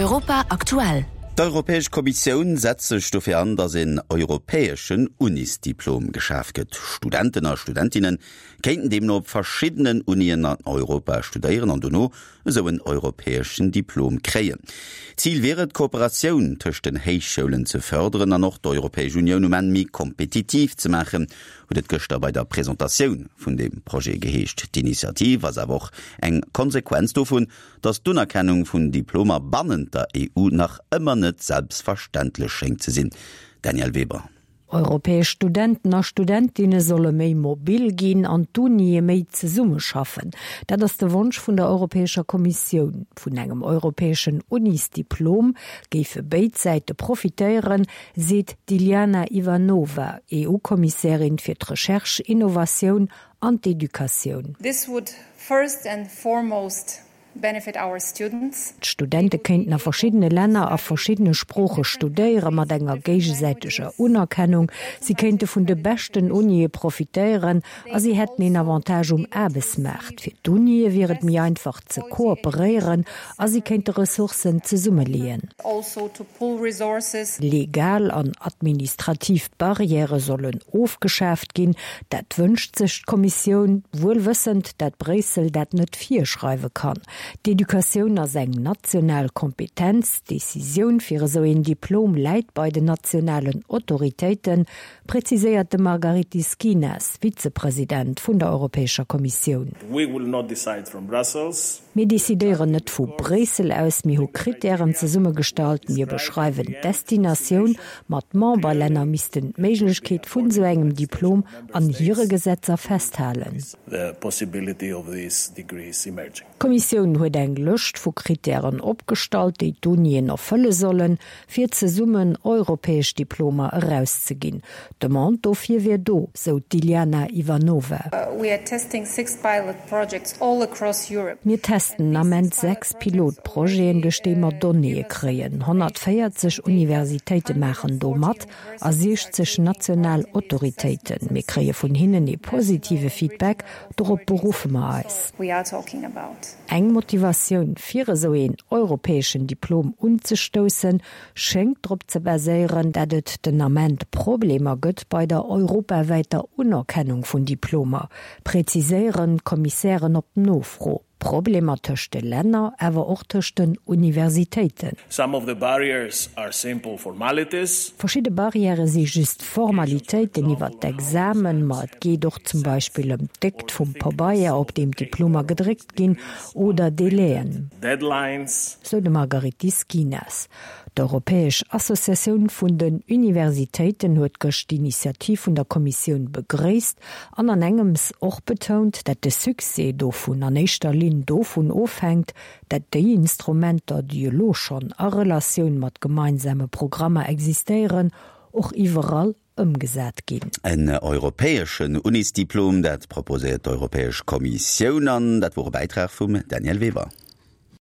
Europa aktuell. D'Europäesch Kommissioun setzt sech dofir an, datt een europäeschen Unisdiplom geschaf gëtt. Studenten a Studentinne kéinten deemno op verschiddenen Unien an Europa studéieren an dono esou en europäeschen Diplom kréien. Zil wier et, d'Kooperatioun tëscht den Héichschoulen ze fërderen an och d'Europäesch Unioun um Enn méi kompetitiv ze maachen, huet et gëschter bei der Presentatioun vun deem Projet geheescht. D'Initiativ ass awer och eng Konsequenz dovun, datt d'Unerkennung vun Diplomer bannent der EU nach ëmmer net selbstverständlech schéngt ze sinn. Danièle Weber. Europäesch Studenten a Studentinne solle méi mobil ginn an d'Unie méi zesummeschaffen. Dat ass de Wonsch vun der Europäescher Kommissioun. Vun engem europäeschen Unisdiplom géife béid Säite profitéieren, seet d'Iliana Ivanova, EU-Kommissärin fir d'Recherche, Innovatioun an d'Educatioun. This would first and foremost benefit our students. D'Studente kéinten a verschiddene Länner a verschiddene Sprooche studéiere mat enger géigesäiteger Unerkennung. Si kéinte vun de beschten Unie profitéieren a si hätten een Avantage um Aarbechtsmaart. Fir d'Unie wier et méi einfach ze kooperéieren a si kéinte Ressourcen zesummeleeën. Legal an administrativ Barrièrë sollen ofgeschaaft ginn. Dat wënscht sech d'Kommissioun, wuel wëssend, dat Bréissel dat net virschreiwe kann. D'Educatioun ass eng national Kompetenz. D'Decisioun fir esou een Diplom läit bei den nationalen Autoritéiten, präziséiert de Margaritis Schinas, Vizepresident vun der Europäescher Kommissioun. Mir decidéieren net vu Bréissel aus, mir hu Krittären zesummegestallt, mir beschreiwen d'Destinatioun, ma d'Memberlänner missten d'Méiglechkeet vun esou engem Diplom an hire Gesetzer festhalen. D'Kommissioun huet eng Lëscht vu Krittären opgestallt, déi d'Unien erfëlle sollen, fir zesummen europäesch Diplomer erauszeginn. D'Demande dofir wier do, sou d'Iliana Ivanova. Mir testen den Ament 6 Pilotprojeten, duerch déi mer Donnéeë kréien. 140 Universitéite maachen do mat a 60 national Autoritéiten. Mir kréie vun hinnen ee positive Feedback, dorop beruffe mer eis. Eng Motivatioun fir esou een europäeschen Diplom unzestoussen, schéngt drop ze baséieren, dat et den Ament Problemer gëtt bei der europawäiter Unerkennung vun Diplomer, präziséieren d'Kommissären op Nofro. Problemer tëscht de Länner, awer och tëscht den Universitéiten. Some of the barriers are simple formalities. Verschidde Barrièrë si just Formalitéiten iwwert d'Examen, ma et geet och zum Beispill ëm d'Déckt vum Pabeier, op deem d'Diplomer gedréckt ginn, oder Delaien. Deadlines. Sou de Margaritis Schinas. D'Europäesch Associatioun vun den Universitéiten huet gëscht d'Initiativ vun der Kommissioun begréisst an an engems och betount, dat de Succès dovun an éischter Linn dovun ofhänkt, dat déi Instrumenter, déi elo schonn a Relatioun mat gemeinsame Programmer existéieren, och iwwerall ëmgesat ginn. En europäeschen Unisdiplom, dat proposéiert d'Europäesch Kommissioun an dat wor e Bäitrag vum Danièle Weber.